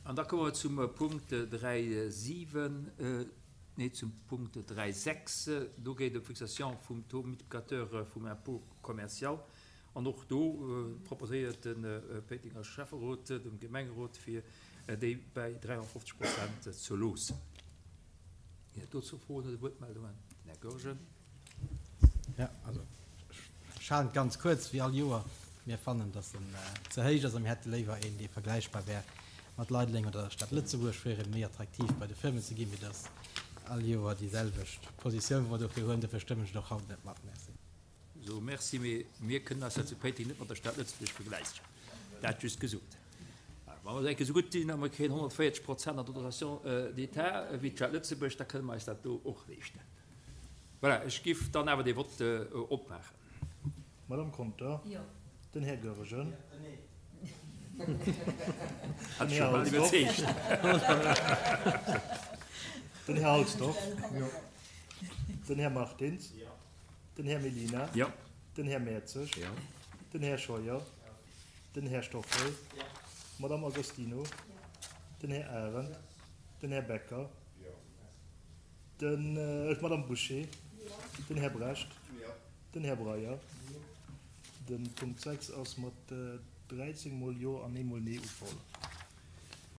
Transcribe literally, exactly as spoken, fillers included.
An da komme mer zum Punkt dräi siwen, nee, zum Punkt dräi sechs. Do geet et ëm d'Fixation vum Taux multiplicateur vum Impôt commercial. An och do proposéiert de Péitenger Schäfferot dem Gemengerot, fir déi bäi dräianfofzeg Prozent ze loossen. Ginn et dozou Froen oder Wuertmeldungen? Den Här Goergen. Jo, also ech halen et ganz kuerz, wéi all Joer. Mir fannen, dass en ze héich ass a mir hätte léiwer een, dee vergläichbar wär mat Leideleng oder der Stad Lëtzebuerg, fir erëm méi attraktiv bei de Firmen ze ginn, wéi dass all Joer déi selwecht Positioun, wou mer dofir huelen. Dofir stëmmen ech et och haut net mat. Merci. So, merci, mee mir kënnen eis jo zu Péiteng net mat der Stad Lëtzebuerg vergläichen. Dat just gesot. Wa mer enke sou gutt sinn a mer kréien honnertvéierzeg Prozent an der Dotation d'État wéi d'Stad Lëtzebuerg, da kënne mer eis dat do och leeschten. Voilà, ech giff dann awer dee Vott opmaachen. D'Madame Conter. Jo. Den Här Goergen. Nee. Hat ech scho bal iwwerzeegt. Den Här Halsdorf. Jo. Den Här Martins. Jo. Den Här Mellina. Jo. Den Här Mertzig. Jo. Den Här Scheuer. Den Här Stoffel. Jo. D'Madame Agostino. Jo. Den Här Arendt. Den Här Becker. Jo. Den, d'Madame Bouché. Jo. Den Här Brecht. Jo. Den Här Breyer. Jo. De Punkt sechs ass mat dräizéng mol Jo an ee mol Nee ugeholl.